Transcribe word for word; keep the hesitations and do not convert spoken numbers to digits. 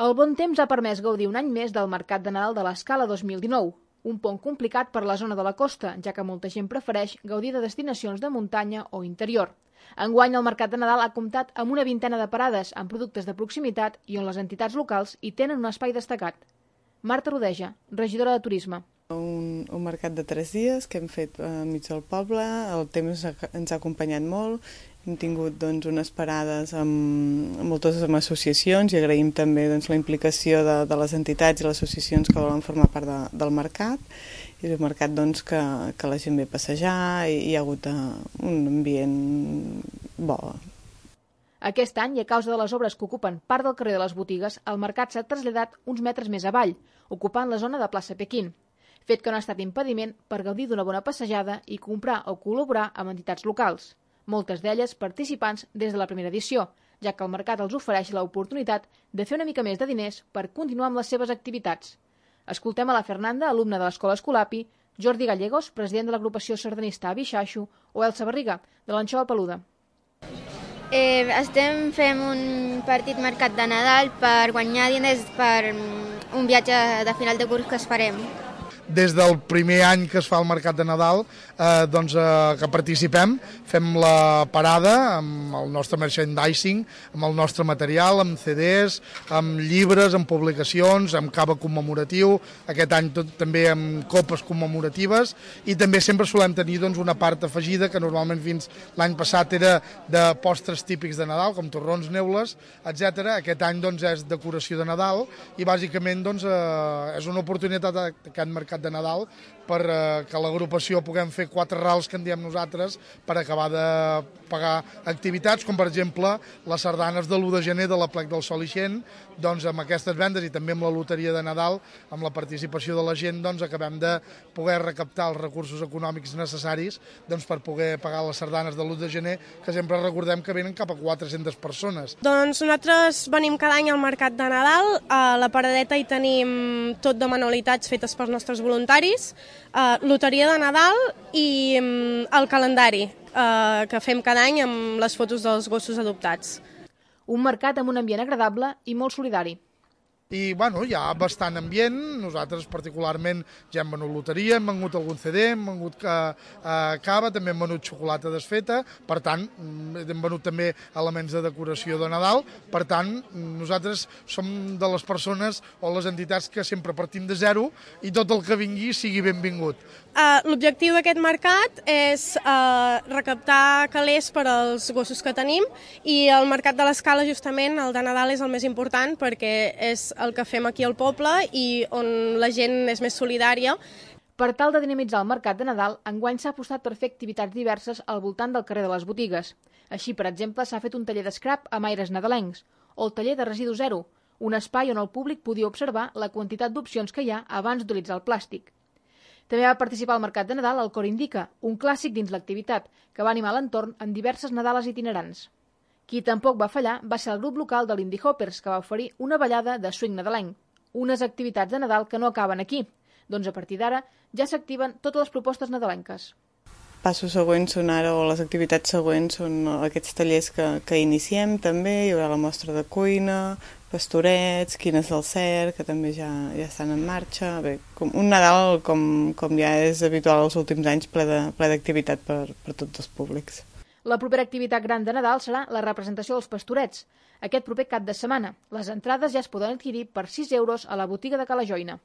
El bon temps ha permès gaudir un any més del Mercat de Nadal de l'Escala dos mil dinou, un pont complicat per la zona de la costa, ja que molta gent prefereix gaudir de destinacions de muntanya o interior. Enguany, el Mercat de Nadal ha comptat amb una vintena de parades amb productes de proximitat i on les entitats locals hi tenen un espai destacat. Marta Rodeja, regidora de Turisme. Un, un mercat de tres dies que hem fet enmig del poble, el temps ens ha acompanyat molt, hem tingut doncs, unes parades amb, amb moltes amb associacions i agraïm també doncs, la implicació de, de les entitats i les associacions que volen formar part de, del mercat. És un mercat doncs, que, que la gent ve a passejar i hi ha hagut un ambient bo. Aquest any, i a causa de les obres que ocupen part del carrer de les botigues, el mercat s'ha traslladat uns metres més avall, ocupant la zona de plaça Pequín, fet que no ha estat impediment per gaudir d'una bona passejada i comprar o col·laborar amb entitats locals, moltes d'elles participants des de la primera edició, ja que el mercat els ofereix l'oportunitat de fer una mica més de diners per continuar amb les seves activitats. Escoltem a la Fernanda, alumna de l'Escola Escolapi, Jordi Gallegos, president de l'agrupació sardanista Avi Xaixo, o Elsa Barriga, de l'Anxova Peluda. Eh, estem fent un partit mercat de Nadal per guanyar diners per un viatge de final de curs que es farem. Des del primer any que es fa el Mercat de Nadal, eh, doncs, eh, que participem, fem la parada amb el nostre merchandising, amb el nostre material, amb ce des, amb llibres, amb publicacions, amb cava commemoratiu, aquest any tot, també amb copes commemoratives, i també sempre solem tenir doncs, una part afegida que normalment fins l'any passat era de postres típics de Nadal, com torrons, neules, etcètera. Aquest any doncs, és decoració de Nadal i bàsicament doncs, eh, és una oportunitat d'aquest mercat de Nadal per eh, que l'agrupació puguem fer quatre rals que en diem nosaltres per acabar de pagar activitats, com per exemple les sardanes de l'u de gener de la Plec del Sol Ixent, doncs amb aquestes vendes i també amb la loteria de Nadal, amb la participació de la gent, doncs acabem de poder recaptar els recursos econòmics necessaris doncs, per poder pagar les sardanes de l'u de gener, que sempre recordem que venen cap a quatre-centes persones. Doncs nosaltres venim cada any al Mercat de Nadal, a la paradeta hi tenim tot de manualitats fetes pels nostres voluntaris, Uh, loteria de Nadal i um, el calendari uh, que fem cada any amb les fotos dels gossos adoptats. Un mercat amb un ambient agradable i molt solidari. I bueno, hi ha bastant ambient, nosaltres particularment ja hem venut loteria, hem venut algun ce de, hem venut eh, cava, també hem venut xocolata desfeta, per tant, hem venut també elements de decoració de Nadal, per tant, nosaltres som de les persones o les entitats que sempre partim de zero i tot el que vingui sigui benvingut. Uh, L'objectiu d'aquest mercat és uh, recaptar calés per als gossos que tenim i el mercat de l'Escala, justament, el de Nadal és el més important perquè és el que fem aquí al poble i on la gent és més solidària. Per tal de dinamitzar el mercat de Nadal, enguany s'ha apostat per fer activitats diverses al voltant del carrer de les botigues. Així, per exemple, s'ha fet un taller d'escrap amb aires nadalencs o el taller de residu zero, un espai on el públic podia observar la quantitat d'opcions que hi ha abans d'utilitzar el plàstic. També va participar al Mercat de Nadal el Cor Indica, un clàssic dins l'activitat, que va animar l'entorn amb diverses Nadales itinerants. Qui tampoc va fallar va ser el grup local de l'Indie Hoppers, que va oferir una ballada de swing nadalenc, unes activitats de Nadal que no acaben aquí, doncs a partir d'ara ja s'activen totes les propostes nadalenques. Passos següents són ara, o les activitats següents són aquests tallers que, que iniciem també, hi haurà la mostra de cuina, pastorets, quines del cert, que també ja, ja estan en marxa. Bé, com un Nadal, com, com ja és habitual els últims anys, ple d'activitat per, per tots els públics. La propera activitat gran de Nadal serà la representació dels pastorets, aquest proper cap de setmana. Les entrades ja es poden adquirir per sis euros a la botiga de Cala Joina.